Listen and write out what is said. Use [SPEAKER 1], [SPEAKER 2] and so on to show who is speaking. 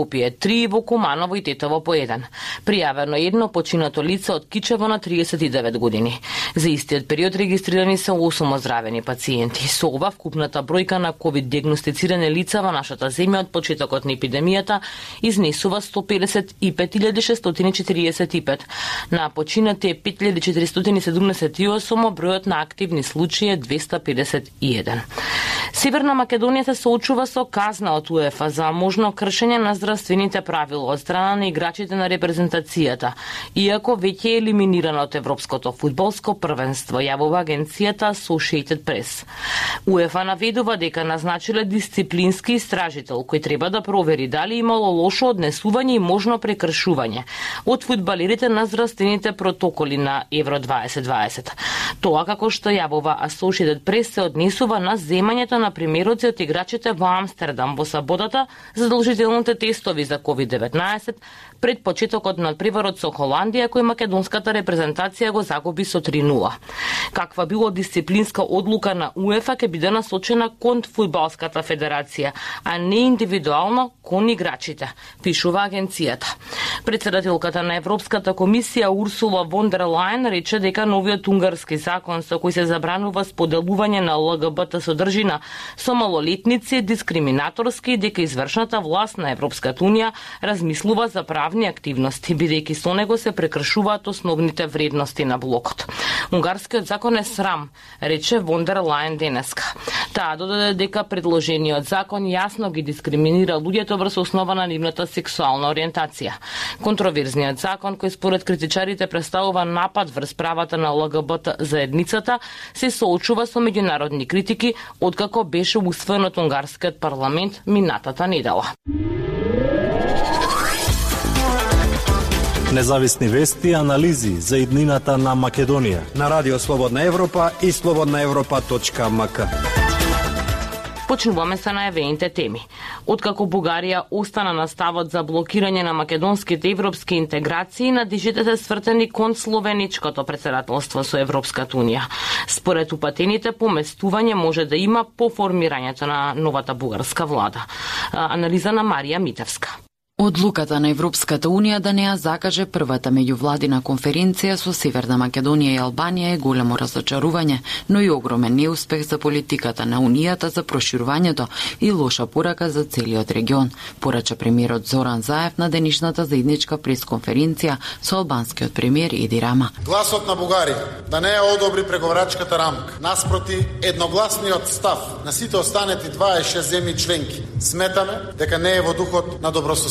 [SPEAKER 1] Скопје 3, во Куманово и Тетово по 1. Пријавено едно починато лице од Кичево на 39 години. За истиот период регистрирани се 8 оздравени пациенти. Со ова вкупната бројка на ковид диагностицирани лица во нашата земја од почетокот на епидемијата изнесува 155.645. На починати е 5.478, бројот на активни случаи е 251. Северна Македонија се соочува со казна од УЕФА за можно кршење на здравствените правила од страна на играчите на репрезентацијата, иако веќе е елиминирана од Европското фудбалско првенство, јавува агенцијата Associated Press. УЕФА наведува дека назначиле дисциплински истражител кој треба да провери дали имало лошо однесување и можно прекршување од фудбалерите на здравствените протоколи на Евро 2020. Тоа, како што јавува Associated Press, се однесува на земањето на примероци од играчите во Амстердам во саботата, задолжителните тестови за COVID-19 пред почетокот на преварот со Холандија, кој македонската репрезентација го загуби со 3-0. Каква било дисциплинска одлука на УЕФА ќе биде насочена кон фудбалската федерација, а не индивидуално кон играчите, пишува агенцијата. Председателката на Европската комисија Урсула фон дер Лајен рече дека новиот унгарски закон со кој се забранува споделување на ЛГБТ содржина со малолетници е дискриминаторски и дека извршната власт на Европската унија размислува за правни активности, бидејќи со него се прекршуваат основните вредности на блокот. Унгарскиот закон е срам, рече фон дер Лајен денеска. Таа додаде дека предложениот закон јасно ги дискриминира луѓето врз основа на нивната сексуална ориентација. Контроверзниот закон, кој според критичарите представува напад врз правата на ЛГБТ заедницата, се соочува со меѓународни критики откако беше усвоен од унгарскиот парламент минатата недела.
[SPEAKER 2] Независни вести и анализи за иднината на Македонија
[SPEAKER 3] на Радио Слободна Европа и slobodnaevropa.mk.
[SPEAKER 1] Почнуваме со најавените теми. Откако Бугарија остана на ставот за блокирање на македонските европски интеграции, надежите се свртени кон словеничкото председателство со Европската унија. Според упатените, поместување може да има по формирањето на новата бугарска влада. Анализа на Марија Митевска.
[SPEAKER 4] Одлуката на Европската унија да не ја закаже првата меѓувладина конференција со Северна Македонија и Албанија е големо разочарување, но и огромен неуспех за политиката на Унијата за проширувањето и лоша порака за целиот регион, порача премиерот Зоран Заев на денешната заедничка пресконференција со албанскиот премиер Еди Рама.
[SPEAKER 5] Гласот на Бугарија да не ја одобри преговарачката рамка, наспроти едногласниот став на сите останати 26 земји членки, сметаме дека не е во духот на добрососедство.